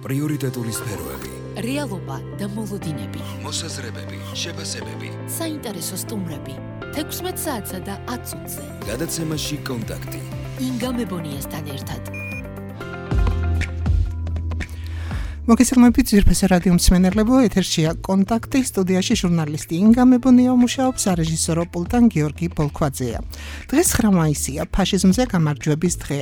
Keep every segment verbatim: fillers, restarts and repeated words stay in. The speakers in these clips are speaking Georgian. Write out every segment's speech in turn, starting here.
პრიორიტეტული სფეროები, რეალობა და მოლოდინები, მოსაზრებები, შეფასებები, საინტერესო სტუმრები, თექვსმეტ საათსა და ათ წუთზე. გადაცემაში კონტაქტი. ინგა მებონიასთან ერთად. მოგესალმებით ძვირფასი რადიო მსმენელებო, ეთერშია კონტაქტი, სტუდიაში ჟურნალისტი ინგა მებონია მუშაობს, სარეჟისორო პულტან გიორგი პოლქვაძეა. დღეს ცხრა მაისია, ფაშიზმზე გამარჯვების დღე.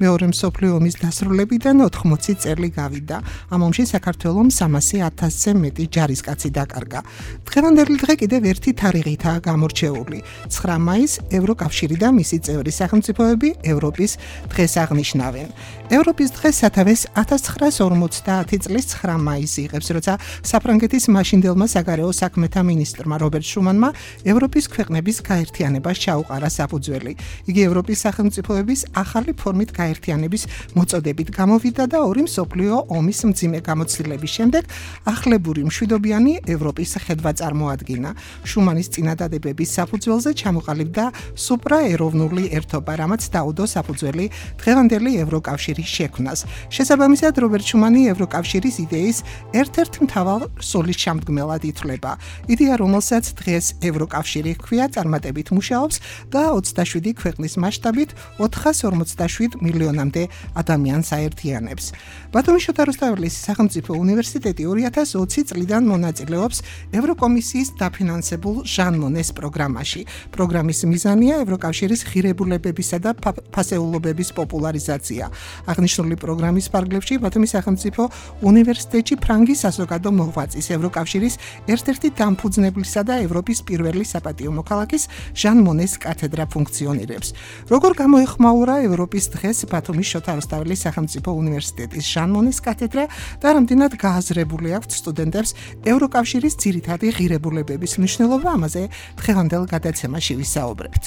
მეორე მსოფლიო ომის დასრულებიდან ოთხმოცი წელი გავიდა. ამ ომში საქართველომ სამასი ათასზე მეტი ჯარისკაცი დაკარგა. დღევანდელი დღე კიდევ ერთი თარიღითაა გამორჩეული. ცხრა მაისს ევროკავშირი და მისი წევრი სახელმწიფოები ევროპის დღეს აღნიშნავენ. ევროპის დღეს სათავეს ათას ცხრაას ორმოცდაათი წლის ცხრა მაისი იღებს, როცა საფრანგეთის მაშინდელმა საგარეო საქმეთა მინისტრმა რობერტ შუმანმა ევროპის ქვეყნების გაერთიანებას ჩაუყარა საფუძველი. იგი ევროპის სახელმწიფოების ახალი ფორმით გაერთიანების მოწოდებით გამოვიდა და ორი მსოფლიო ომის მძიმე გამოცდილების შემდეგ ახლებური მშვიდობიანი ევროპის ხედვა წარმოადგინა. შუმანის წინადადებების საფუძველზე ჩამოყალიბდა სუპრაეროვნული ერთობა, რამაც დაუდო საფუძველი დღევანდელი ევროკავშირის შექმნას. შესაბამისად, რობერტ შუმანი ევროკავშირის იდეის ერთ-ერთ მთავარ სულის შემდგმელად ითვლება. იდეა, რომელსაც დღეს ევროკავშირი ჰქვია, წარმატებით მუშაობს და ოცდაშვიდი ქვეყნის მასშტაბით ოთხას ორმოცდაშვიდ მილიონამდე ადამიანს აერთიანებს. ბათუმის შოთა რუსთაველის სახელმწიფო უნივერსიტეტი ორი ათას ოცი წლიდან მონაწილეობს ევროკომისიის დაფინანსებულ ჟან მონეს პროგრამაში. პროგრამის მიზანია ევროკავშირის ღირებულებებისა და ფასეულობების პოპულარიზაცია. აღნიშნული პროგრამის ფარგლებში ბათუმის სახელმწიფო უნივერსიტეტში ფრანგის საზოგადო მოღვაწის ევროკავშირის ერთ-ერთი დამფუძნებლისა და ევროპის პირველი საპატიო მოქალაქის ჟან მონეს კათედრა ფუნქციონირებს. როგორ გამოეხმაურა ევროპის დღეს ბათუმის შოთა რუსთაველის სახელმწიფო უნივერსიტეტის ჟან მონეს კათედრა და რამდენად გააზრებული აქვთ სტუდენტებს ევროკავშირის ძირითადი ღირებულებების მნიშვნელობა, ამაზე დღევანდელ გადაცემაში ვისაუბრებთ.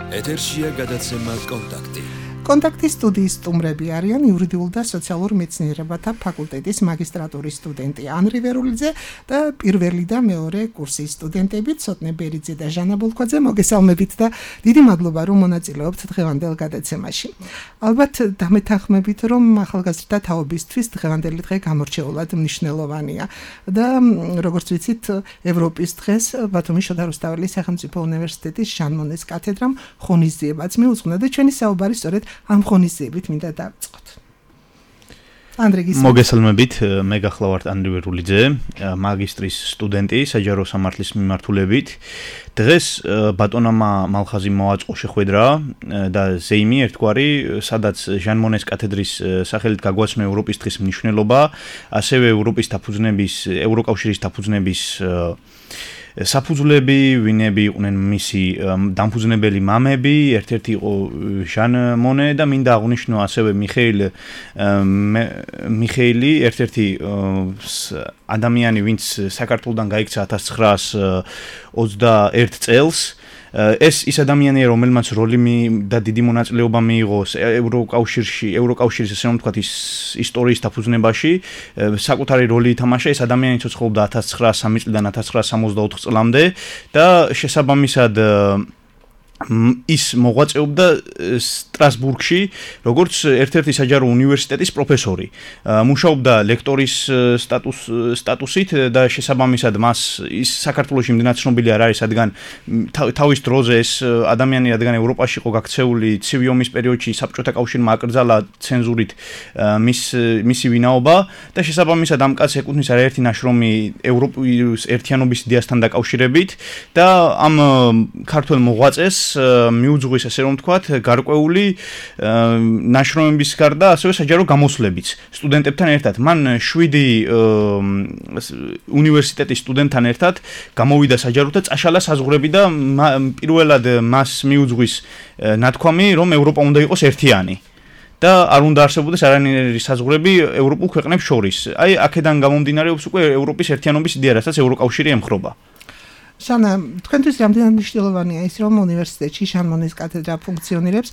ეთერშია გადაცემა კონტაქტი. კონტაქტის სტუდიის სტუმრები არიან იურიდიულ და სოციალურ მეცნიერებათა ფაკულტეტის მაგისტრატურის სტუდენტი ანრი ვერულიძე და პირველი და მეორე კურსის სტუდენტები ცოტნე ბერიძე და ჟანა ბოლქვაძე. მოგესალმებით და დიდი მადლობა, რომ მონაწილეობთ დღევანდელ გადაცემაში. ალბათ დამეთანხმებით, რომ ახალგაზრდა თაობისთვის დღევანდელი დღე გამორჩეულად მნიშვნელოვანია და როგორც ვიცით, ევროპის დღეს ბათუმის შოთა რუსთაველის სახელმწიფო უნივერსიტეტის ჟან მონეს კათედრამ ღონისძიებაც მიუძღვნა და ჩვენი საუბარი სწორედ ამ ღონისძიებით მინდა დავიწყოთ. მოგესალმებით, მე გახლავართ ანრი ვერულიძე, მაგისტრის სტუდენტი საჯარო სამართლის მიმართულებით. დღეს ბატონამა მალხაზი მოაწყო შეხვედრა და ზეიმი ერთგვარი, სადაც ჟან მონეს კათედრის სახელით გაგვაცნო ევროპის დღის მნიშვნელობა, ასევე ევროპის დაფუძნების, ევროკავშირის დაფუძნების საფუძვლები, ვინები იყვნენ მისი დამფუძნებელი მამები, ერთ-ერთი იყო ჟან მონე და მინდა აღვნიშნო ასევე მიხეილ მიხეილი, ერთ-ერთი ადამიანი, ვინც საქართველოდან გაიქცა ათას ცხრაას ოცდაერთ წელს. ეს ის ადამიანია, რომელმაც როლი და დიდი მონაწილეობა მიიღო ევროკავშირში, ევროკავშირის ასე რომ ვთქვათ, ის ისტორიის დაფუძნებაში, საკუთარი როლი ითამაშა. ეს ადამიანი ცოცხლობდა ათას ცხრაას სამი წლიდან ათას ცხრაას სამოცდაოთხ წლამდე და შესაბამისად ის მოღვაწეობდა სტრასბურგში, როგორც ერთ-ერთი საჯარო უნივერსიტეტის პროფესორი. მუშაობდა ლექტორის სტატუს სტატუსით და შესაბამისად მას ის საქართველოში იმდენად ცნობილი არ არის, რადგან თავის დროზე ეს ადამიანი, რადგან ევროპაში იყო გაქცეული ცივი ომის პერიოდში, საბჭოთა კავშირმა აკრძალა ცენზურით მის მისი ვინაობა და შესაბამისად ამ კაცს ეკუთვნის არაერთი ნაშრომი ევროპის ერთიანობის იდეასთან დაკავშირებით და ამ ქართველ მოღვაწეს მიუძღვის, ასე რომ ვთქვათ, გარკვეული ნაშრომების გარდა ასევე საჯარო გამოსვლებიც სტუდენტებთან ერთად. მან შვიდი უნივერსიტეტის სტუდენტთან ერთად გამოვიდა საჯაროდ და წაშალა საზღვრები და პირველად მას მიუძღვის ნათქვამი, რომ ევროპა უნდა იყოს ერთიანი. და არ უნდა არსებობდეს არანაირი საზღვრები ევროპულ ქვეყნებს შორის. აი, აქედან გამომდინარეობს უკვე ევროპის ერთიანობის იდეა, რასაც ევროკავშირი ემხრობა. ჟანა, თქვენთვის რამდენად მნიშვნელოვანია ის, რომ უნივერსიტეტში ჟან მონეს კათედრა ფუნქციონირებს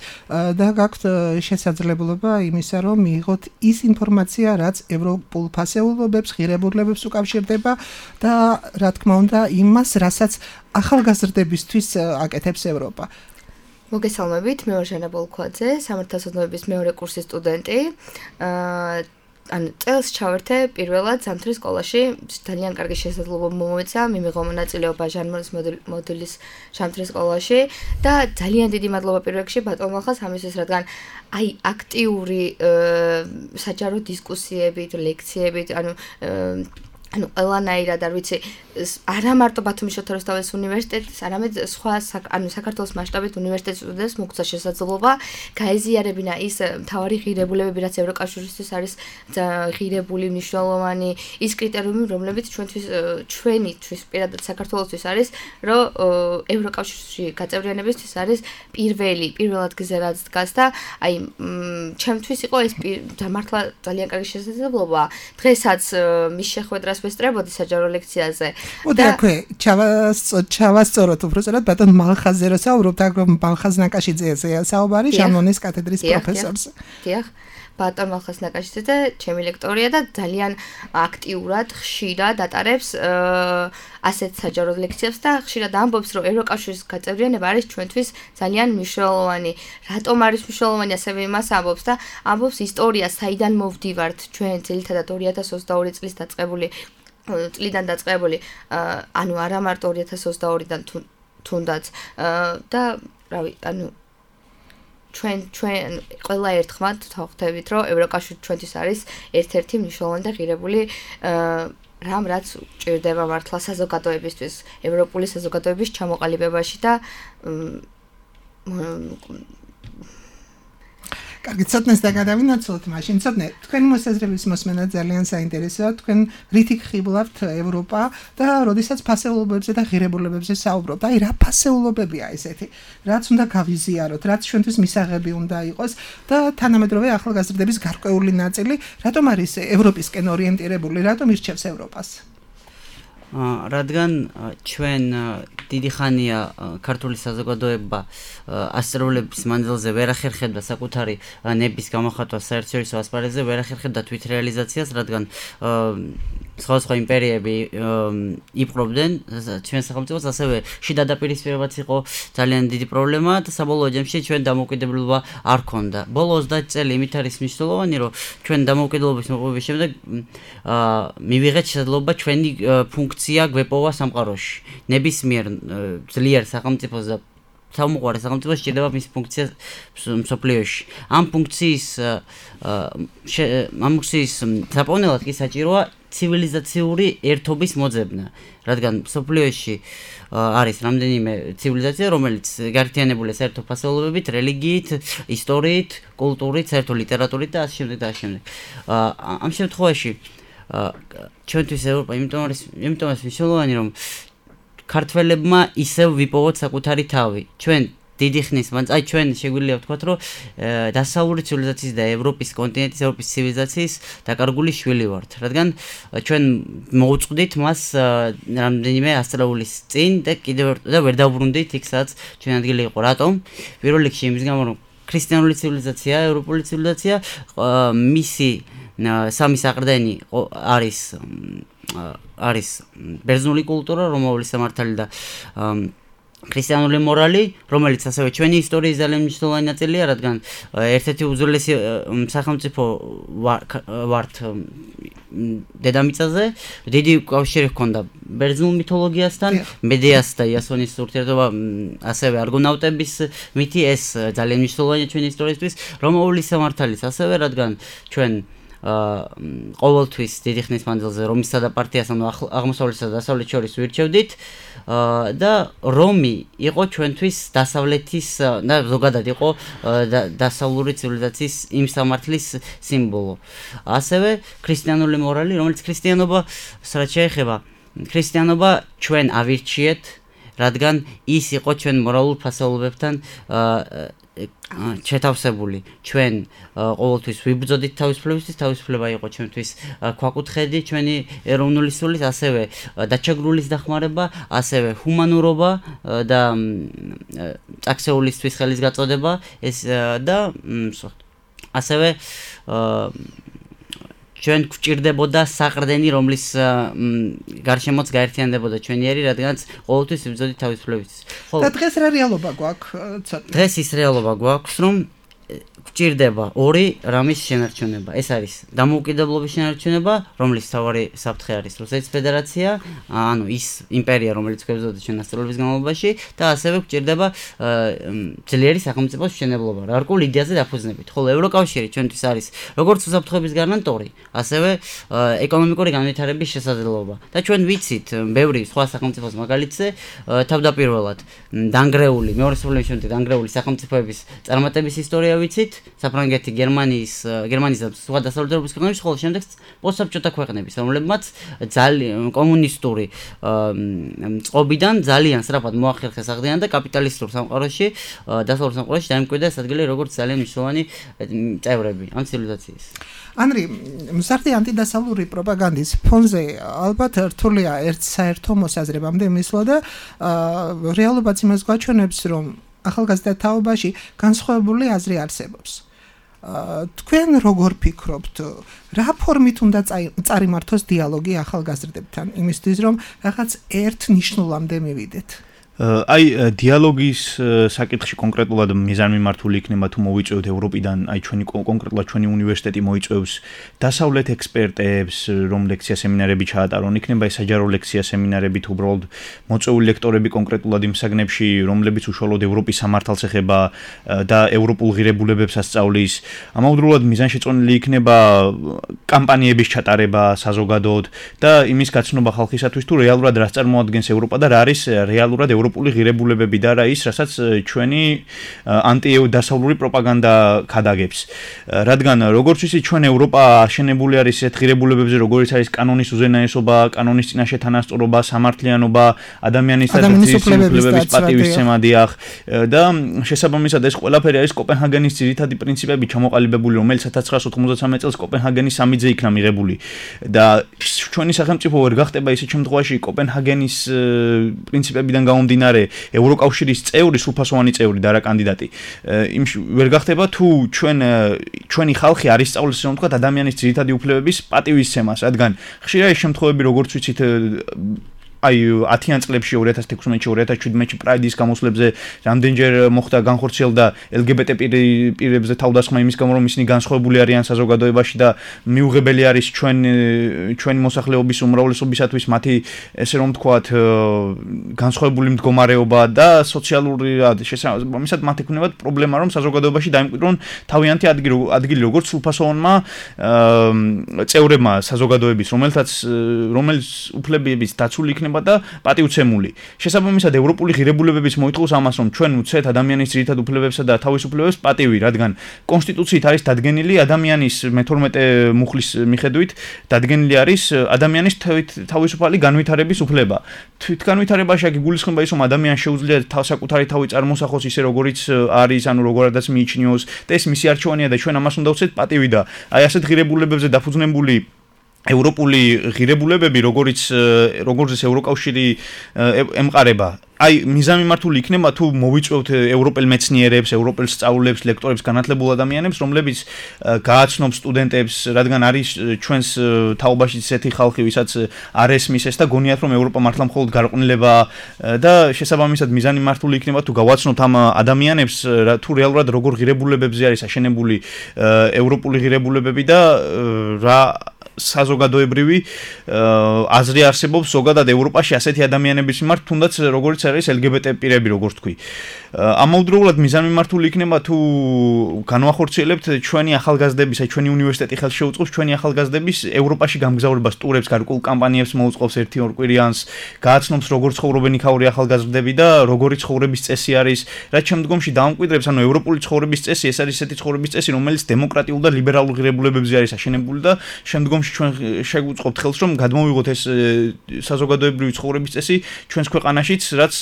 და გაქვთ შესაძლებლობა იმისა, რომ მიიღოთ ის ინფორმაცია, რაც ევროპულ ფასეულობებს, ღირებულებებს უკავშირდება და რა თქმა უნდა იმას, რასაც ახალგაზრდებისთვის აკეთებს ევროპა. მოგესალმებით, მე ვარ ჟანა ბოლქვაძე, სამართალსაქმეების მეორე კურსის სტუდენტი. აა ანუ წელს ჩავერთე პირველად ზამთრის სკოლაში, ძალიან კარგი შესაძლებლობა მომეცა, მიმიღო მონაწილეობა ჟანმონის მოდელის ზამთრის სკოლაში და ძალიან დიდი მადლობა პირველ რიგში ბატონ მალხას ამისთვის, რადგან აი აქტიური საჯარო დისკუსიებით, ლექციებით, ანუ ანუ ყველანაირად არ ვიცი არა მარტო ბათუმის შოთა რუსთაველის უნივერსიტეტის, არამედ სხვა ანუ საქართველოს მასშტაბით უნივერსიტეტის სტუდენტებს მოგცა შესაძლებლობა გაეზიარებინა ის მთავარი ღირებულებები, რაც ევროკავშირისთვის არის ღირებული, მნიშვნელოვანი, ის კრიტერიუმი, რომლებიც ჩვენთვის ჩვენთვის პირადად საქართველოსთვის არის, რომ ევროკავშირში გაწევრიანებისთვის არის პირველი, პირველ ადგილზე რაც დგას და აი ჩემთვის იყო ეს მართლა ძალიან კარგი შესაძლებლობა. დღესაც მის შეხვედრას ვესწრებოდი საჯარო ლექციაზე. ოდე აქვე ჩავასწოროთ უბრალოდ ბატონ მალხაზზე რო საუბრობთ, აგრომ მალხაზ ნაკაშიძეა საუბარი, ჟანმონის კათედრის პროფესორს. დიახ. ბატონ მალხაზ ნაკაშიძე ჩემი ლექტორია და ძალიან აქტიურად, ხშირად ატარებს ასეთ საჯარო ლექციებს და ხშირად ამბობს, რომ ევროკავშირის გაწევრიანება არის ჩვენთვის ძალიან მნიშვნელოვანი. რატომ არის მნიშვნელოვანი, ასევე იმას ამბობს და ამბობს ისტორიას, საიდან მოვდივართ ჩვენ ძირითადად ორი ათას ოცდაორი წლის დაწყებული წლიდან დაწყებული, ანუ არა მარტო ორი ათას ოცდაორიდან თუნდაც და რავი, ანუ ჩვენ ჩვენ ყველა ერთხმად ვხვდებით, რომ ევროკავშირი ჩვენთვის არის ერთ-ერთი მნიშვნელოვანი და ღირებული რამ, რაც ჭირდება მართლა საზოგადოებისთვის, ევროპული საზოგადოების ჩამოყალიბებაში და კარგი, ცოტნეს და გადავინაცვლოთ მაშინ. ცოტნე, თქვენი მოსაზრების მოსმენა ძალიან საინტერესოა. თქვენ რითი ხიბლავთ ევროპა და როდესაც ფასეულობებზე და ღირებულებებზე საუბრობთ. აი, რა ფასეულობებია ესეთი? რაც უნდა გავიზიაროთ, რაც ჩვენთვის მისაღები უნდა იყოს და თანამედროვე ახალგაზრდების გარკვეული ნაწილი, რატომ არის ევროპისკენ ორიენტირებული, რატომ ირჩევს ევროპას? რადგან ჩვენ დიდი ხანია ქართული საზოგადოება ასწავლების მანძილზე ვერ ახერხებდა საკუთარი ნების გამოხატვას საერთაშორისო ასპარეზზე, ვერ ახერხებდა თვითრეალიზაციას, რადგან სხვადასხვა იმპერიები იპყრობდნენ ჩვენ სახელმწიფოს, ასევე შიდა დაპირისპირებაც იყო ძალიან დიდი პრობლემა და საბოლოო ჯამში ჩვენ დამოუკიდებლობა არ ქონდა. ბოლო ოცდაათი წელი იმით არის მნიშვნელოვანი, რომ ჩვენ დამოუკიდებლობის მოპოვების შემდეგ მივიღეთ შესაძლებლობა ჩვენი ფუნქცია გვეპოვა სამყაროში. ნებისმიერ ძლიერ სახელმწიფოს და თავმოყარე სახელმწიფოს სჭირდება მის ფუნქცია მსოფლიოში. ამ ფუნქციის ამ ფუნქციის საპოვნელად კი საჭიროა ცივილიზაციური ერთობის მოძებნა, რადგან მსოფლიოში არის რამდენიმე ცივილიზაცია, რომელიც გაერთიანებულია საერთო ფასეულობებით, რელიგიით, ისტორიით, კულტურით, საერთო ლიტერატურით და ასე შემდეგ და ასე შემდეგ. ამ შემთხვევაში ჩვენთვის ევროპა იმიტომ არის იმიტომ არის მნიშვნელოვანი, რომ ქართველებმა ისევ ვიპოვოთ საკუთარი თავი. ჩვენ დიდი ხნის მანძილზე, აი ჩვენ შეგვიძლია ვთქვათ, რომ დასავლური ცივილიზაციის და ევროპის კონტინენტის, ევროპის ცივილიზაციის დაკარგული შვილი ვართ, რადგან ჩვენ მოუწყვდით მას რამდენიმე ასწლეულის წინ და კიდევ და ვერ დავბრუნდით იქ, სადაც ჩვენ ადგილი იყო. რატომ? პირველ რიგში იმის გამო, რომ ქრისტიანული ცივილიზაცია, ევროპული ცივილიზაცია, მისი სამი საყრდენი არის არის ბერძნული კულტურა, რომაული სამართალი და ქრისტიანული მორალი, რომელიც ასევე ჩვენი ისტორიის ძალიან მნიშვნელოვანი ნაწილია, რადგან ერთ-ერთი უძველესი სახელმწიფო ვართ დედამიწაზე, დიდი კავშირი ჰქონდა ბერძნულ მითოლოგიასთან, მედეას და იასონის ურთიერთობა, ასევე არგონავტების მითი, ეს ძალიან მნიშვნელოვანია ჩვენი ისტორიისთვის, რომაული სამართალიც ასევე, რადგან ჩვენ ყოველთვის დიდი ხნის მანძილზე რომისა და პარტიას, ანუ აღმოსავლეთსა და დასავლეთს შორის ვირჩევდით და რომი იყო ჩვენთვის დასავლეთის და ზოგადად იყო დასავლური ცივილიზაციის იმ სამართლის სიმბოლო. ასევე ქრისტიანული მორალი, რომელიც ქრისტიანობა რაც შეეხება, ქრისტიანობა ჩვენ ავირჩიეთ, რადგან ის იყო ჩვენ მორალურ ფასეულობებთან შეთავსებული. ჩვენ ყოველთვის ვიბრძოდით თავისუფლებისთვის, თავისუფლება იყო ჩვენთვის ქვაკუთხედი, ჩვენი ეროვნული სულის, ასევე დაჩაგრულის დახმარება, ასევე ჰუმანურობა და წაქსეულისთვის ხელის გაწოდება, ეს და ასევე ჩვენ გვჭირდებოდა საყრდენი, რომლის გარშემოც გაერთიანდებოდა ჩვენი ერი, რადგანაც ყოველთვის იბრძოდით თავისუფლების. ხო. და დღეს რა რეალობა გვაქვს? დღეს ის რეალობა გვაქვს, რომ გვჭირდება ორი რამის შენარჩუნება. ეს არის დამოუკიდებლობის შენარჩუნება, რომლის მთავარი საფრთხე არის რუსეთის ფედერაცია, ანუ ის იმპერია, რომელიც გვებრძოდა ჩვენ ასწლეულების განმავლობაში და ასევე გვჭირდება ძლიერი სახელმწიფოს მშენებლობა, რარკულ იდეაზე დაფუძნებით. ხოლო ევროკავშირი ჩვენთვის არის როგორც უსაფრთხოების გარანტორი, ასევე ეკონომიკური განვითარების შესაძლებლობა. და ჩვენ ვიცით ბევრი სხვა სახელმწიფოს მაგალითზე თავდაპირველად დანგრეული, მეორე სრულის შემდეგ დანგრეული სახელმწიფოების წარმატების ისტორია ვიცით. საფრანგეთი, გერმანიის, გერმანიის და სხვა დასავლეთ ევროპის ქვეყნების, ხოლო შემდეგ პოსტსაბჭოთა ქვეყნების, რომლებმაც ძალიან კომუნისტური წყობიდან ძალიან სწრაფად მოახერხეს აღდგენა და კაპიტალისტურ სამყაროში, დასავლეთ სამყაროში დაიმკვიდრა ეს ადგილი როგორც ძალიან მნიშვნელოვანი წევრები ამ ცივილიზაციის. ანრი, მზარდი ანტიდასავლური პროპაგანდის ფონზე ალბათ რთულია ერთ საერთო მოსაზრებამდე მისვლა და რეალობაც იმას გვაჩვენებს, რომ ახალგაზრდა თაობაში განსხვავებული აზრი არსებობს. თქვენ როგორ ფიქრობთ, რა ფორმით უნდა წარიმართოს დიალოგი ახალგაზრდებთან, იმისთვის რომ რაღაც ერთ ნიშნულამდე მივიდეთ? აი დიალოგის საკითხში კონკრეტულად მიზანმიმართული იქნება თუ მოვიწევთ ევროპიდან, აი ჩვენი კონკრეტულად ჩვენი უნივერსიტეტი მოიწევს დასავლეთ ექსპერტებს, რომ ლექცია სემინარები ჩაატარონ, იქნება ეს საჯარო ლექცია სემინარები თუ უბრალოდ მოწვეული ლექტორები კონკრეტულად იმ საგნებში, რომლებიც უშუალოდ ევროპის სამართალს ეხება და ევროპულ ღირებულებებს ასწავლის. ამავდროულად მიზანშეწონილი იქნება კამპანიების ჩატარება საზოგადოდ და იმის გაცნობა ხალხისათვის თუ რეალურად რას წარმოადგენს ევროპა და რა არის რეალურად ევროპული ღირებულებები და რა ის, რასაც ჩვენი ანტიდასავლური პროპაგანდა ქადაგებს. რადგან როგორც ვიცი, ჩვენ ევროპა აშენებული არის ესეთ ღირებულებებზე, როგორც არის კანონის უზენაესობა, კანონის წინაშე თანასწორობა, სამართლიანობა, ადამიანის უფლებების პატივისცემა დიახ და შესაბამისად ეს ყველაფერი არის კოპენჰაგენის ძირითადი პრინციპები ჩამოყალიბებული, რომელიც ათას ცხრაასი ოცდაათი წელს კოპენჰაგენის სამიძე იქნა მიღებული და ჩვენი სახელმწიფო ვერ გახდება ისეთ შემთხვევაში კოპენჰაგენის პრინციპებიდან გამომდინარე ევროკავშირის წევრი, სრულფასოვანი წევრი და რა კანდიდატი. იმ ვერ გახდება თუ ჩვენ ჩვენი ხალხი არ ისწავლის რომ თქვა ადამიანის ძირითადი უფლებების პატივისცემას, რადგან ხშირად ის შემთხვევები როგორც ვიცით აი ათიან წლებში ორი ათას თექვსმეტში ორი ათას შვიდმეტში პრაიდის გამოსვლებზე რამდენჯერ მოხდა განხორციელდა ელგბტ პირებზე თავდასხმა იმის გამო რომ ისინი განსხვავებული არიან საზოგადოებაში და მიუღებელი არის ჩვენ ჩვენი მოსახლეობის უმრავლესობისათვის მათი ესე რომ ვთქვათ განსხვავებული მდგომარეობა და სოციალური შესაბამისად მათ ექნებათ პრობლემა რომ საზოგადოებაში დაიმკვიდრონ თავიანთი ადგილი ადგილი როგორც სრულფასოვანმა წევრებმა საზოგადოების რომელთაც რომელიც უფლებების დაცული იქნება და პატივცემული. შესაბამისად ევროპული ღირებულებების მოითხოვს ამას, რომ ჩვენ უცეთ ადამიანის ძირითად უფლებებსა და თავისუფლებებს პატივი, რადგან კონსტიტუციით არის დადგენილი ადამიანის მეთორმეტე მუხლის მიხედვით დადგენილი არის ადამიანის თავისუფალი განვითარების უფლება. თვითგანვითარებაში აქ იგულისხმება ის, რომ ადამიანს შეუძლია საკუთარი თავი წარმოსახოს ისე როგორიც არის, ანუ როგორადაც მიიჩნიოს და ეს მისი არჩევანია და ჩვენ ამას უნდა ვუცეთ პატივი და აი ასეთ ღირებულებებზე დაფუძნებული ევროპული ღირებულებები, როგორც როგორც ევროკავშირი ემყარება. აი მიზანმიმართული იქნება თუ მოვიწევთ ევროპელ მეცნიერებს, ევროპელ სწავლულებს, ლექტორებს, განათლებულ ადამიანებს, რომლებიც გააცნობ სტუდენტებს, რადგან არის ჩვენს თაობაში ისეთი ხალხი, ვისაც არ ესმის ეს და გონიათ რომ ევროპა მართლა მხოლოდ გარყვნილება და შესაბამისად მიზანმიმართული იქნება თუ გავაცნობთ ამ ადამიანებს თუ რეალურად როგორ ღირებულებებზე არის აშენებული ევროპული ღირებულებები და რა საზოგადოებრივი აზრი არსებობს ზოგადად ევროპაში ასეთი ადამიანების მიმართ, თუნდაც როგორც არის ელგბტ პირები, როგორც თქვი. ამავდროულად მიზანმიმართული იქნება თუ განვახორციელებთ ჩვენი ახალგაზრდების, აი ჩვენი უნივერსიტეტი ხელს შეუწყობს ჩვენი ახალგაზრდების ევროპაში გამგზავრებას, ტურებს, გარკვეულ კამპანიებს მოუწყობს ერთი ორ კვირიანს, გააცნობს როგორ ცხოვრობენ იქაური ახალგაზრდები და როგორი ცხოვრების წესი არის, რაც შემდგომში დაამკვიდრებს, ანუ ევროპული ცხოვრების წესი, ეს არის ესეთი ცხოვრების წესი, რომელიც დემოკრატიულ და ლიბერალურ ღირებულებებზე არის აშენებული და შემდგომში ჩვენ შეგვუწყობთ ხელს რომ გადმოვიღოთ ეს საზოგადოებრივი ცხოვრების წესი ჩვენს ქვეყანაშიც, რაც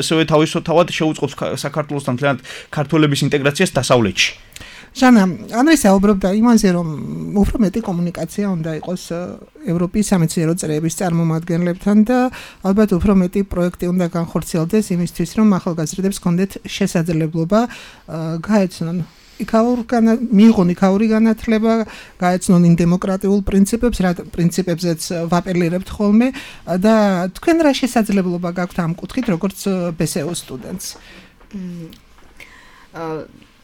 ასევე თავისთავად შეუწყობს საქართველოსთან მთლიანად ქართველების ინტეგრაციას დასავლეთში. ჟანა, ანრი საუბრობდა იმაზე, რომ უფრო მეტი კომუნიკაცია უნდა იყოს ევროპის სამეცნიერო წრეების წარმომადგენლებთან და ალბათ უფრო მეტი პროექტი უნდა განხორციელდეს იმისთვის, რომ ახალგაზრდებს კონდეთ შესაძლებლობა გაეცნონ იქაურგანა მიიღონ იქაური განათლება, გაეცნონ იმ დემოკრატიულ პრინციპებს, რა პრინციპებზეც ვაპელირებთ ხოლმე და თქვენ რა შესაძლებლობა გაქვთ ამ კუთხით, როგორც ბესეო სტუდენტს?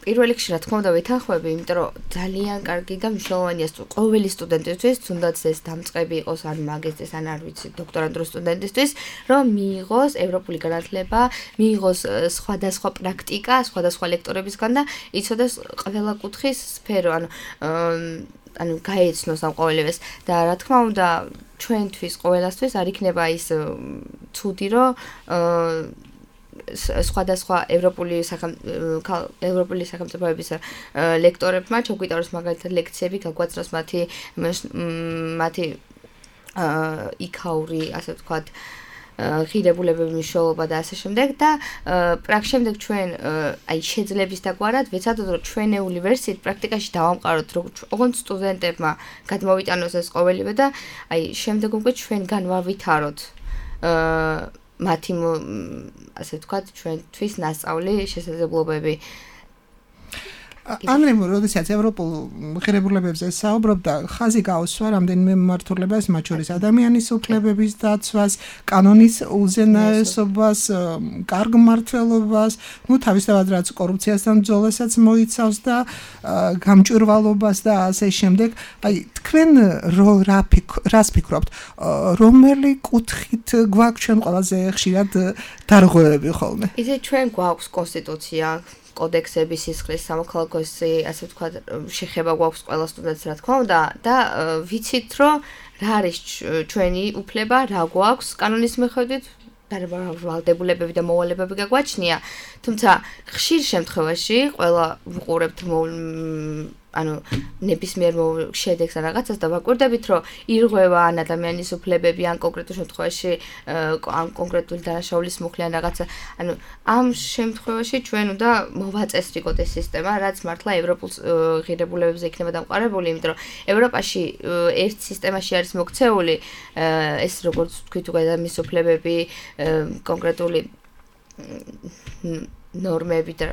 პირველ რიგში რა თქმა უნდა ვითანხმები, იმიტომ რომ ძალიან კარგი და მნიშვნელოვანია ყოველი სტუდენტისთვის, თუნდაც ეს დამწყები იყოს ან მაგისტრის ან არ ვიცი, დოქტორანტურის სტუდენტისთვის, რომ მიიღოს ევროპული განათლება, მიიღოს სხვადასხვა პრაქტიკა, სხვადასხვა ლექტორებისგან და იცოდეს ყველა კუთხის სფერო, ანუ ანუ გაეცნოს ამ ყოველივეს და რა თქმა უნდა ჩვენთვის ყოველასთვის არ იქნება ის ცუდი, რომ სხვადასხვა ევროპული ევროპული სახელმწიფოების ლექტორებმა ჩაგვიტაროს მაგალითად ლექციები, გაგვაცნოს მათი მათი იქაური, ასე ვთქვათ, ღირებულებების მნიშვნელობა და ასე შემდეგ და პრაქტიკ შემდეგ ჩვენ აი შეძლების დაგვარად ვეცადოთ რომ ჩვენეული ვერსიით პრაქტიკაში დავამყაროთ ოღონდ სტუდენტებმა გადმოვიტანოს ეს ყოველივე და აი შემდეგ უკვე ჩვენ განვავითაროთ მათი ასე ვთქვათ ჩვენთვის ნასწავლი შესაძლებლობები. ანრემ როდესაც ევროპულ ღირებულებებზე საუბრობდა, ხაზი გაუსვა რამდენიმე მიმართულებას, მათ შორის ადამიანის უფლებების დაცვას, კანონის უზენაესობას, კარგ მმართველობას, ну თავისთავად რაც კორუფციასთან ბრძოლასაც მოიცავს და გამჭვირვალობას და ასე შემდეგ. აი თქვენ რას ფიქრობთ, რომელი კუთხით გვაქვს ჩვენ ყველაზე ხშირად დარღვევები ხოლმე? ისე ჩვენ გვაქვს კონსტიტუცია, კოდექსები, სისხლის, სამოქალაქოს, ასე ვთქვათ, შეხება გვაქვს ყველა სტუდენტს, რა თქმა უნდა, და ვიცით, რომ რა არის ჩვენი უფლება, რა გვაქვს კანონის მიხედვით, ვალდებულებები და მოვალეობები გაგვაჩნია, თუმცა ხშირ შემთხვევაში ყველა ვუყურებთ ანუ ნებისმიერ შედეგს ან რაღაცას და ვაკვირდებით, რომ ირღვევა ან ადამიანის უფლებები ან კონკრეტულ შემთხვევაში ან კონკრეტული დანაშაულის მუხლი ან რაღაცა, ანუ ამ შემთხვევაში ჩვენ უნდა მოვაწესრიგოთ ეს სისტემა, რაც მართლა ევროპულ ღირებულებებზე იქნება დამყარებული, იმიტომ რომ ევროპაში ერთ სისტემაში არის მოქცეული ეს როგორც თქვით უკვე ადამიანის უფლებები, კონკრეტული ნორმები და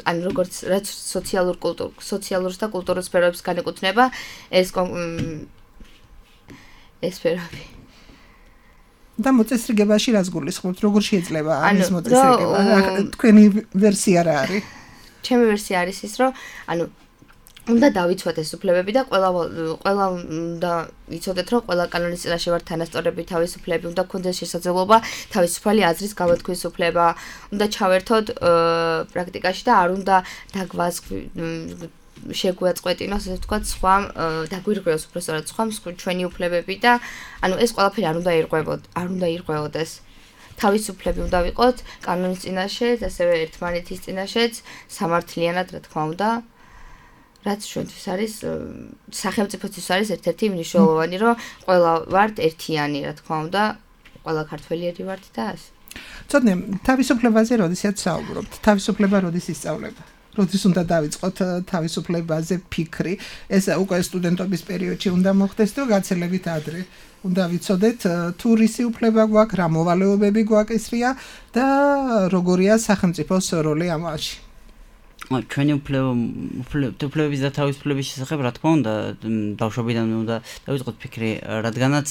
ან როგორც რაც სოციალურ კულტურ სოციალურ და კულტურულ სფეროებს განეკუთვნება ეს ეს სფეროები. და მოწესრიგებაში რას გულისხმობთ? როგორ შეიძლება ამის მოწესრიგება? თქვენი ვერსია რა არის? ჩემი ვერსია არის ის, რომ ანუ უნდა დავიცვათ ეს უფლებები და ყველა ყველა უნდა ვიცოდეთ, რომ ყველა კანონის წინაშე ვართ თანასწორები, თავისუფლები, უნდა გქონდეს შესაძლებლობა თავისუფალი აზრის გამოთქმის უფლება, უნდა ჩავერთოთ პრაქტიკაში და არ უნდა შეგვაწყვეტინოს, ასე ვთქვათ, სხვა დაგვირღვიოს უბრალოდ სხვა ჩვენი უფლებები და ანუ ეს ყველაფერი არ უნდა ირღვევოთ, არ უნდა ირღვეოდეს. თავისუფლები უნდა ვიყოთ კანონის წინაშე, ასევე ერთმანეთის წინაშეც, სამართლიანად, რა თქმა უნდა. რაც ჩვენთვის არის სახელმწიფოთვის არის ერთ-ერთი მნიშვნელოვანი, რომ ყველა ვართ ერთიანი, რა თქმა უნდა, ყველა ქართველიერი ვართ და ასე. ცოტნე თავისუფლებაზე როდესაც საუბრობთ, თავისუფლება როდის ისწავლება? როდის უნდა დავიწყოთ თავისუფლებაზე ფიქრი? ეს უკვე სტუდენტობის პერიოდში უნდა მოხდეს თუ გაცილებით ადრე? უნდა ვიცოდეთ თუ რისი უფლება გვაქვს, რა მოვალეობები გვაკისრია და როგორია სახელმწიფოს როლი ამაში? ჩვენი უფლებების და თავისუფლების შესახებ, რა თქმა უნდა, ბავშვობიდან უნდა დავიწყოთ ფიქრი, რადგანაც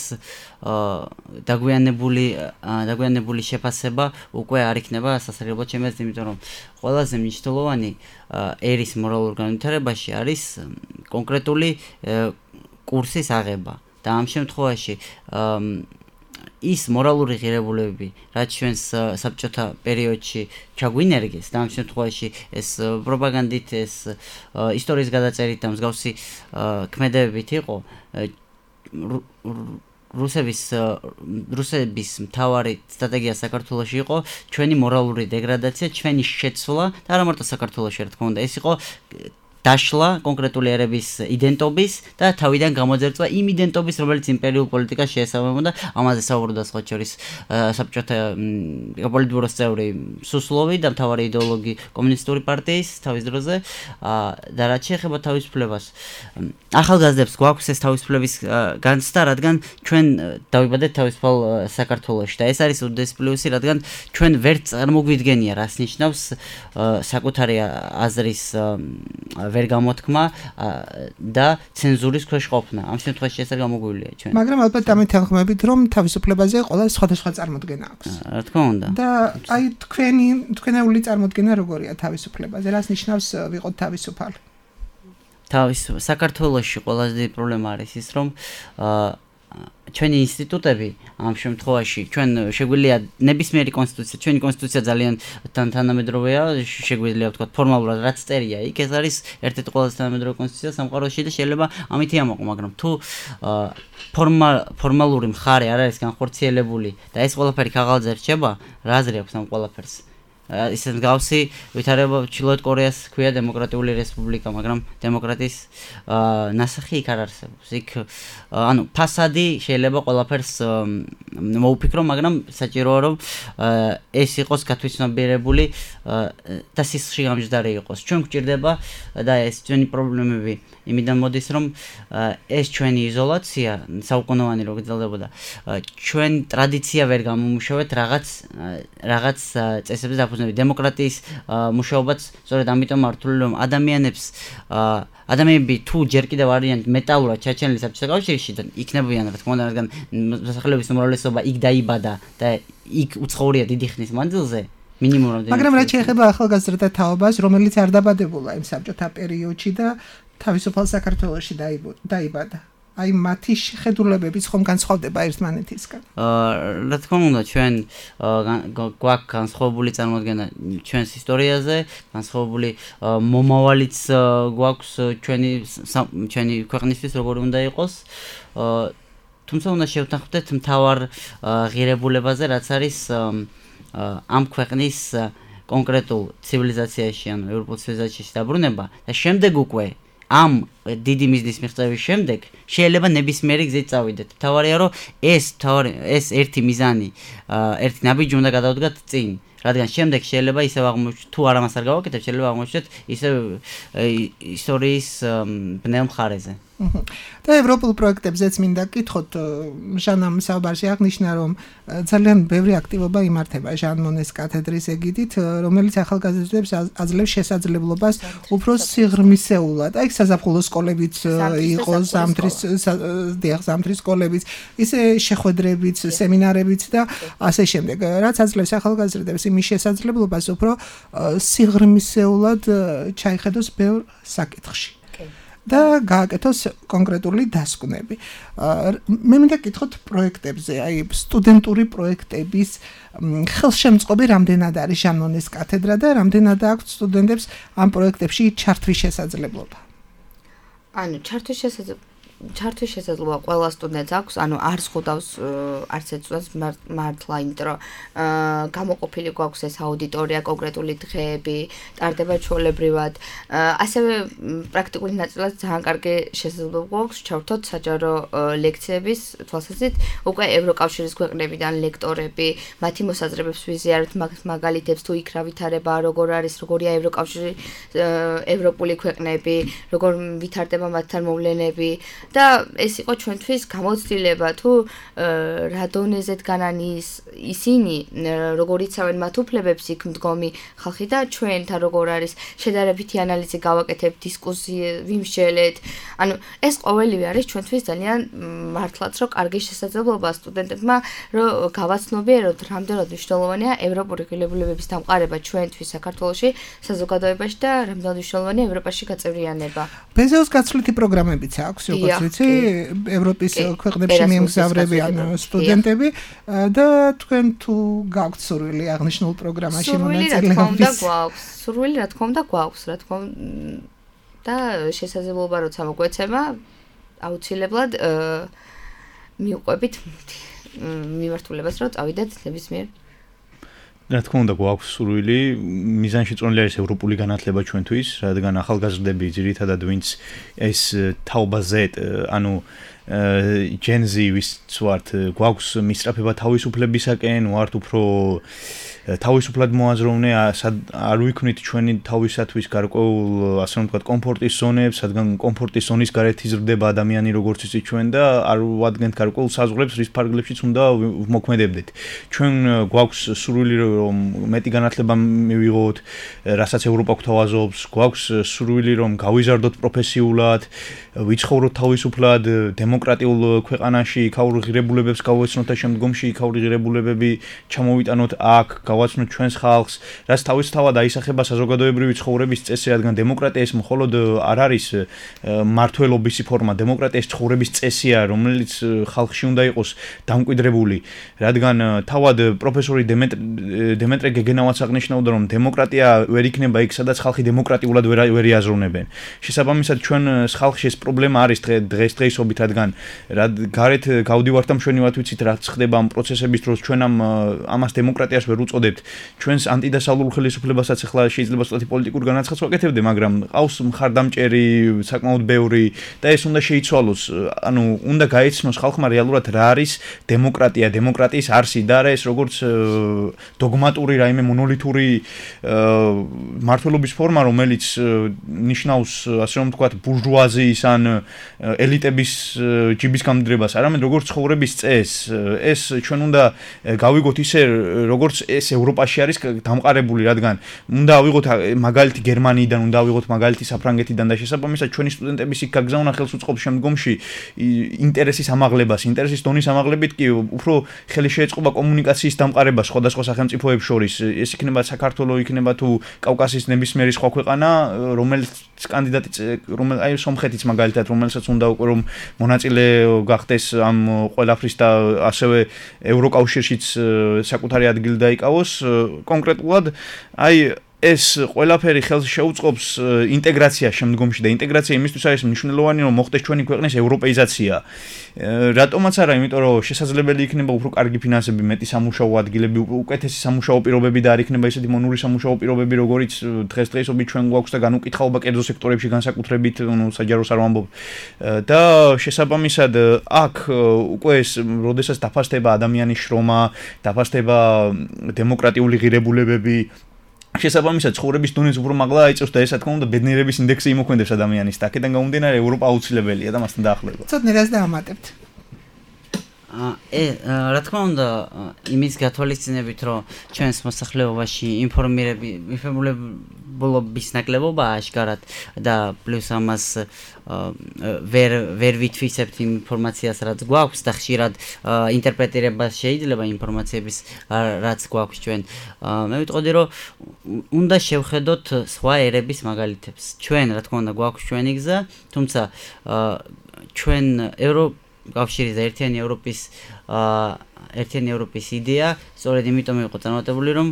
დაგვიანებული დაგვიანებული შეფასება უკვე არ იქნება სასარგებლო ჩემს, იმიტომ რომ ყველაზე მნიშვნელოვანი ერის მორალურ განვითარებაში არის კონკრეტული კურსის აღება და ამ შემთხვევაში ის მორალური ღირებულებები, რაც ჩვენს საბჭოთა პერიოდში ჩაგვინერგეს და ამ შემთხვევაში ეს პროპაგანდით, ეს ისტორიის გადაწერით და მსგავსი ქმედებებით იყო, რუსების რუსების მთავარი სტრატეგია საქართველოში იყო ჩვენი მორალური დეგრადაცია, ჩვენი შეცვლა და არა მარტო საქართველოში, რა თქმა უნდა, ეს იყო დაშლა კონკრეტული ერების იდენტობის და თავიდან გამოძერწვა იმ იდენტობის, რომელიც იმპერიულ პოლიტიკას შეესაბამებოდა. ამაზე საუბრობდა სხვა შორის საბჭოთა პოლიტბიუროს წევრი სუსლოვი და მთავარი იდეოლოგი კომუნისტური პარტიის თავის დროზე და რაც შეეხება თავისუფლებას. ახალგაზრდებს გვაქვს ეს თავისუფლების განცდა, რადგან ჩვენ დავიბადეთ თავისუფალ საქართველოში და ეს არის უდიდესი პლუსი, რადგან ჩვენ ვერ წარმოგვიდგენია, რას ნიშნავს საკუთარი აზრის ვერ გამოთქმა და ცენზურის ქვეშ ყოფნა. ამ შემთხვევაში ეს არ გამოგვივლია ჩვენ. მაგრამ ალბათ დამეთანხმებით, რომ თავისუფლებაზე ყველა სხვადასხვა წარმოდგენა აქვს. რა თქმა უნდა. და აი თქვენი თქვენეული წარმოდგენა როგორია თავისუფლებაზე? რას ნიშნავს ვიყოთ თავისუფალი? თავის საქართველოში ყველაზე დიდი პრობლემა არის ის, რომ ჩვენი ინსტიტუტები ამ შემთხვევაში ჩვენ შეგვიძლია ნებისმიერი კონსტიტუცია, ჩვენი კონსტიტუცია ძალიან თანამედროვეა, შეგვიძლია ვთქვათ ფორმალურად რაც წერია, იქ ეს არის ერთ-ერთი ყველაზე თანამედროვე კონსტიტუცია სამყაროში და შეიძლება ამითი ამოყო, მაგრამ თუ ფორმალური მხარე არ არის განხორციელებული და ეს ყველაფერი ქაღალდზე რჩება, რა აზრი აქვს ამ ყველაფერს? ისეთ მსგავსი ვითარება ჩრდილოეთ კორეას ქვია დემოკრატიული რესპუბლიკა, მაგრამ დემოკრატიის ნასახი იქ არ არსებობს. იქ ანუ ფასადი შეიძლება ყველაფერს მოუფიქრო, მაგრამ საჭიროა რომ ეს იყოს გათვითცნობიერებული და სისხლში გამჯდარი იყოს. ჩვენ გვჭირდება და ეს ჩვენი პრობლემები იმიდან მოდის, რომ ეს ჩვენი იზოლაცია საუკუნოვანი რო გრძელდებოდა, ჩვენ ტრადიცია ვერ გამომუშავეთ რაღაც რაღაც წესებზე დაფუძნებული დემოკრატიის მუშაობაც სწორედ ამიტომ ართული, რომ ადამიანებს ადამიანები თუ ჯერ კიდევ არიან მეტალურად ჩაჩენილი საბჭოთა კავშირში და იქნებიან, რა თქმა უნდა, რადგან მოსახლეობის უმრავლესობა იქ დაიბადა და იქ უცხოვრია დიდი ხნის მანძილზე, მინიმუმ. მაგრამ რაც შეეხება ახალგაზრდა თაობას, რომელიც არ დაბადებულა იმ საბჭოთა პერიოდში და თავისუფალ საქართველოში დაიბადა. აი მათი შეხედულებებიც ხომ განსხვავდება ერთმანეთისგან? რა თქმა უნდა, ჩვენ გვაქვს განსხვავებული წარმოდგენა ჩვენს ისტორიაზე, განსხვავებული მომავალიც გვაქვს ჩვენი ჩვენი ქვეყნისთვის როგორი უნდა იყოს. თუმცა უნდა შევთანხმდეთ მთავარ ღირებულებაზე, რაც არის ამ ქვეყნის კონკრეტულ ცივილიზაციაში, ანუ ევროპულ ცივილიზაციაში დაბრუნება და შემდეგ უკვე ამ დიდი მიზნის მიღწევის შემდეგ შეიძლება ნებისმიერი გზით წავიდეთ. თავარია რომ ეს თავარი ეს ერთი მიზანი, ერთი ნაბიჯი უნდა გადავდგათ წინ, რადგან შემდეგ შეიძლება ისევ აღმოჩნდეთ, თუ არ ამას არ გავაკეთებ, შეიძლება აღმოჩნდეთ ისევ ისტორიის ბნელ მხარეზე. და ევროპულ პროექტებზეც მინდა გკითხოთ, ჟანამ საუბარში აღნიშნა, რომ ძალიან ბევრი აქტივობა იმართება ჟან მონეს კათედრის ეგიდით, რომელიც ახალგაზრდებს აძლევს შესაძლებლობას უფრო სიღრმისეულად, აი საზაფხულო სკოლებიც იყო, ზამთრის ზამთრის სკოლებიც, ისე შეხვედრებიც, სემინარებიც და ასე შემდეგ, რაც აძლევს ახალგაზრდებს იმის შესაძლებლობას უფრო სიღრმისეულად ჩაიხედოს ბევრ საკითხში. და გააკეთოს კონკრეტული დასკვნები. მე მინდა გკითხოთ პროექტებზე, აი სტუდენტური პროექტების ხელშემწყობი რამდენად არის ჟან მონეს კათედრა და რამდენად აქვს სტუდენტებს ამ პროექტებში ჩართვის შესაძლებლობა? ანუ ჩართვის შესაძლებლობა ჩართვის შესაძლებლობა ყველა სტუდენტს აქვს, ანუ არ ზღუდავს არც ერთ სტუდენტს მართლა, იმიტომ რომ გამოყოფილი გვაქვს ეს აუდიტორია, კონკრეტული დღეები, ტარდება ჩვეულებრივად. ასევე პრაქტიკული ნაწილად ძალიან კარგი შესაძლებლობა გვაქვს ჩავრთოთ საჯარო ლექციების თვალსაზრისით, უკვე ევროკავშირის ქვეყნებიდან ლექტორები, მათი მოსაზრებებს ვიზიარებთ, მაგალითებს თუ იქ რა ვითარება, როგორ არის, როგორია ევროკავშირი, ევროპული ქვეყნები, როგორ ვითარდება მათთან მოვლენები. და ეს იყო ჩვენთვის გამოცდილება, თუ რა დონეზეთ განანის ისინი, როგორ იცავენ მათ უფლებებს იქ მდგომი ხალხი და ჩვენთან როგორ არის შედარებითი ანალიზი გავაკეთებთ, დისკუსია ვიმსჯელეთ. ანუ ეს ყოველივე არის ჩვენთვის ძალიან მართლაც რომ კარგი შესაძლებლობა სტუდენტებმა, რომ გავაცნობიეროთ, რამდენად მნიშვნელოვანია ევროპული ღირებულებების დამყარება ჩვენთვის საქართველოში, საზოგადოებაში და რამდენად მნიშვნელოვანია ევროპაში გაწევრიანება. ბეზეოს გაცვლითი პროგრამებიც აქვს, როგორც ვიცი, ევროპის ქვეყნებში მიემგზავრებიან სტუდენტები და თქვენ თუ გაქვთ სურვილი აღნიშნულ პროგრამაში მონაწილეობის? სურვილი რა თქმა უნდა გვაქვს, რა თქმა უნდა და შესაძლებლობა როცა მოგვეცემა, აუცილებლად მივყვებით მიმართულებას, რომ წავიდეთ ნებისმიერ რა თქმა უნდა გვაქვს სურვილი მიზანში წონილი არის ევროპული განათლება ჩვენთვის, რადგან ახალგაზრდები ძირითადად ვინც ეს თაობაზე, ანუ Gen Z ვის ვართ, გვაქვს მისწრაფება თავისუფლებისაკენ, ვართ უფრო თავისუფლად მოაზროვნე, არ ვიქნით ჩვენი თავისათვის გარკვეულ, ასე რომ ვთქვათ, კომფორტის ზონებს, რადგან კომფორტის ზონის გარეთ იზრდება ადამიანი როგორც იცით ჩვენ და არ ვადგენთ გარკვეულ საზღვრებს, რის ფარგლებშიც უნდა მოქმედებდეთ. ჩვენ გვაქვს სურვილი რომ მეტი განათლება მივიღოთ, რასაც ევროპა გვთავაზობს, გვაქვს სურვილი რომ გავიზარდოთ პროფესიულად, ვიცხოვროთ თავისუფლად, დემოკრატიულ ქვეყანაში, იქაური ღირებულებებს გავეცნოთ და შემდგომში იქაური ღირებულებები ჩამოვიტანოთ აქ, გავაცნოთ ჩვენს ხალხს, რაც თავისთავად აისახება საზოგადოებრივი ცხოვრების წესი, რადგან დემოკრატია ეს მხოლოდ არ არის მმართველობის ფორმა, დემოკრატია ეს ცხოვრების წესია, რომელიც ხალხში უნდა იყოს დამკვიდრებული, რადგან თავად პროფესორი დემეტრე გეგენავაც აღნიშნავდა, რომ დემოკრატია ვერ იქნება იქ, სადაც ხალხი დემოკრატიულად ვერ იაზროვნებენ. შესაბამისად, ჩვენ ხალხში ეს პრობლემა არის დღესდღეობით, რადგან გარეთ გავდივართ და მშვენივრად ვიცით, რაც ხდება ამ პროცესების დროს, ჩვენ ამ ამას დემოკრატიას ვერ უწოდებთ. ჩვენს ანტიდასავლურ ხელისუფლებასაც ახლა შეიძლება სწორედ პოლიტიკურ განაცხადს ვაკეთებდე, მაგრამ ყავს მხარდამჭერი საკმაოდ ბევრი და ეს უნდა შეიცვალოს. ანუ უნდა გაეცნოს ხალხმა რეალურად რა არის დემოკრატია, დემოკრატიის არსი და არა ეს როგორც დოგმატური რაიმე მონოლითური მმართველობის ფორმა, რომელიც ნიშნავს, ასე რომ ვთქვათ, ბურჟუაზიის ან ელიტების ჯიბის გამდრებას, არამედ როგორც ცხოვრების წესს. ეს ჩვენ უნდა გავიგოთ ისე, როგორც ეს ევროპაში არის დამყარებული, რადგან უნდა ავიღოთ მაგალითი გერმანიიდან, უნდა ავიღოთ მაგალითი საფრანგეთიდან და შესაბამისად ჩვენი სტუდენტების იქ გაგზავნა ხელს უწყობს შემდგომში ინტერესის ამაღლებას, ინტერესის დონის ამაღლებით კი უფრო ხელი შეეწყობა კომუნიკაციის დამყარებას სხვადასხვა სახელმწიფოებს შორის. ეს იქნება საქართველო, იქნება თუ კავკასიის ნებისმიერი სხვა ქვეყანა, რომელიც კანდიდატი, რომელიც აი სომხეთიც მაგალითად, რომელსაც უნდა უკვე რომ მონაწილე გახდეს ამ ყველაფრის და ასევე ევროკავშირშიც საკუთარი ადგილი დაიკავოს. კონკრეტულად აი ეს ყველაფერი ხელს შეუწყობს ინტეგრაციას შემდგომში და ინტეგრაცია იმისთვის არის მნიშვნელოვანი, რომ მოხდეს ჩვენი ქვეყნის ევროპეიზაცია. რატომაც არა, იმიტომ რომ შესაძლებელი იქნება უფრო კარგი ფინანსები, მეტი სამუშაო ადგილები, უკეთესი სამუშაო პირობები და არ იქნება ისეთი მონური სამუშაო პირობები, როგორიც დღესდღეობით ჩვენ გვაქვს და განუკითხაობა კერძო სექტორებში განსაკუთრებით, ну, საჯაროს არ ვამბობ. და შესაბამისად აქ უკვე ეს, როდესაც დაფასდება ადამიანის შრომა, დაფასდება დემოკრატიული ღირებულებები, შესაბამისად ცხოვრების დონეც უფრო მაღლა აიწევს და ეს, რა თქმა უნდა, ბედნიერების ინდექსი იმოქმედებს ადამიანის და აქედან გამომდინარე ევროპა აუცილებელია და მასთან დაახლოება. ცოტნე რას დაამატებთ? ე, რა თქმა უნდა, იმის გათვალისწინებით, რომ ჩვენს მოსახლეობაში ინფორმირებულობის ნაკლებობაა აშკარად და პლუს ამას ვერ ვერ ვითვისებთ ინფორმაციას, რაც გვაქვს და ხშირად ინტერპრეტირება შეიძლება ინფორმაციების, რაც გვაქვს ჩვენ. მე ვიტყოდი, რომ უნდა შევხედოთ სხვა ერების მაგალითებს. ჩვენ, რა თქმა უნდა, გვაქვს ჩვენი გზა, თუმცა ჩვენ ევრო კავშირის და ერთიანი ევროპის ერთიანი ევროპის იდეა სწორედ იმიტომ იყო წარმატებული, რომ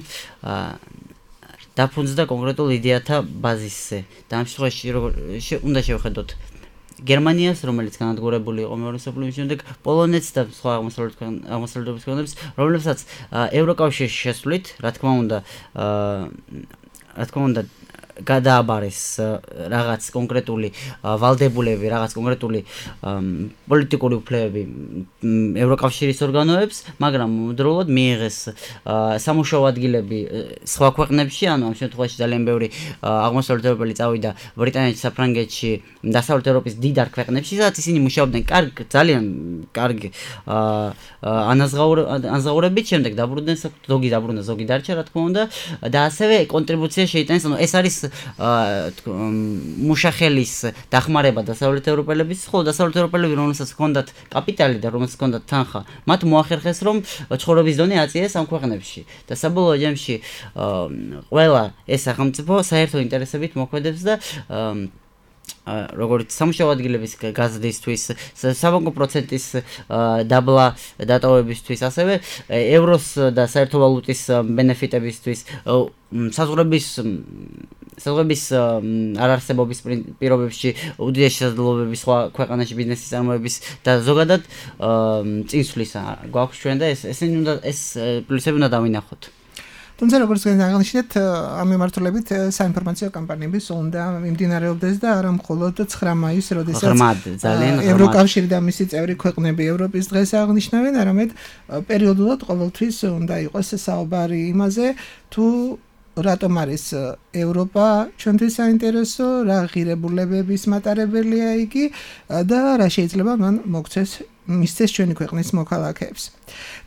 დაფუძნდა კონკრეტულ იდეათა ბაზისზე. და ამ შემთხვევაში უნდა შევხედოთ გერმანიას, რომელიც განადგურებული იყო მეორე მსოფლიო ომის შემდეგ, პოლონეთს და სხვა აღმოსავლეთის ქვეყნებს, რომლებსაც ევროკავშირში შესვლით, რა თქმა უნდა, რა თქმა უნდა გადააბარეს რაღაც კონკრეტული ვალდებულები, რაღაც კონკრეტული პოლიტიკური უფლებები ევროკავშირის ორგანოებს, მაგრამ დროულად მიიღეს სამუშაო ადგილები სხვა ქვეყნებში, ანუ ამ შემთხვევაში ძალიან ბევრი აღმოსავლეთ ევროპელი წავიდა ბრიტანეთში, საფრანგეთში, დასავლეთ ევროპის დიდარ ქვეყნებში, სადაც ისინი მუშაობდნენ კარგ, ძალიან კარგ ანაზღაურებით, შემდეგ დაბრუნდნენ, ზოგი დაბრუნდა, ზოგი დარჩა, რა თქმა უნდა, და ასევე კონტრიბუცია შეიტანეს, ანუ ეს არის მუშახელის დახმარება დასავლეთ ევროპელების, ხოლო დასავლეთ ევროპელები, რომელსაც ჰქონდათ კაპიტალი და რომელსაც ჰქონდათ თანხა, მათ მოახერხეს, რომ ცხოვრების დონე აწიეს ამ ქვეყნებში. და საბოლოო ჯამში ყველა ეს სახელმწიფო საერთო ინტერესებით მოქმედებს და როგორც სამუშაო ადგილების გაზრდისთვის, საბანკო პროცენტის დაბლა დატოვებისთვის, ასევე ევროს და საერთო ვალუტის ბენეფიტებისთვის, საზღვრების საზღვრების არარსებობის პირობებში უდიდეს შესაძლებლობების სხვა ქვეყანაში ბიზნესის წარმოების და ზოგადად წინსვლისა გვაქვს ჩვენ და ეს ესენი უნდა ეს პლუსები უნდა დავინახოთ. თუმცა როგორც აღნიშნეთ, ამ მიმართულებით საინფორმაციო კამპანიები უნდა მიმდინარეობდეს და არა მხოლოდ ცხრა მაისს, როდესაც ევროკავშირი და მისი წევრი ქვეყნები ევროპის დღეს აღნიშნავენ, არამედ პერიოდულად ყოველთვის უნდა იყოს საუბარი იმაზე, თუ რატომ არის ევროპა ჩვენთვის საინტერესო, რა ღირებულებების მატარებელია იგი და რა შეიძლება მან მოგცეს მისცეს ჩვენი ქვეყნის მოქალაქეებს.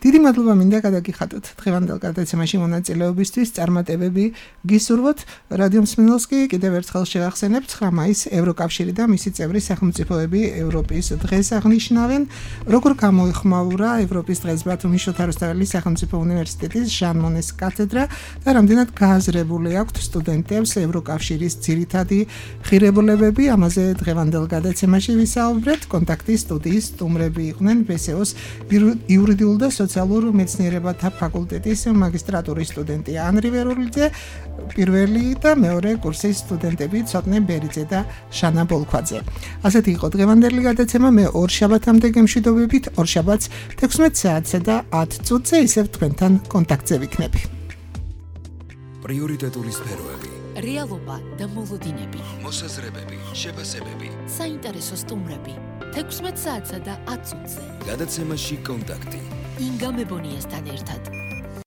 დიდი მადლობა მინდა გადაგიხადოთ დღევანდელ გადაცემაში მონაწილეობისთვის, წარმატებები გისურვოთ. რადიო მსმენელს კი კიდევ ერთხელ შევახსენებთ, ცხრა მაისს ევროკავშირი და მისი წევრი სახელმწიფოები ევროპის დღეს აღნიშნავენ. როგორ გამოიხმაურა ევროპის დღეს ბათუმის შოთა რუსთაველის სახელმწიფო უნივერსიტეტის ჟან მონეს კათედრა და რამდენად გააზრებული აქვთ სტუდენტებს ევროკავშირის ძირითადი ღირებულებები, ამაზე დღევანდელ გადაცემაში ვისაუბრეთ. კონტაქტის სტუდიის სტუმრები იყვნენ ბესეოს იურიდიულ და სოციალურ მეცნიერებათა ფაკულტეტის მაგისტრატურის სტუდენტი ანრი ვერულიძე, პირველი და მეორე კურსის სტუდენტები ცოტნე ბერიძე და შანა ბოლქვაძე. ასეთი იყო დღევანდელი გადაცემა. მე ორ შაბათამდე გემშვიდობებით, ორ შაბათს თექვსმეტ საათსა და ათ წუთზე ისევ თქვენთან კონტაქტზე ვიქნები. პრიორიტეტული სფეროები, რეალობა და მოლოდინები, მოსაზრებები, შეფასებები, საინტერესო სტუმრები, თექვსმეტ საათსა და ათ წუთზე. გადაცემაში კონტაქტი. ინგა მებონიასთან ერთად.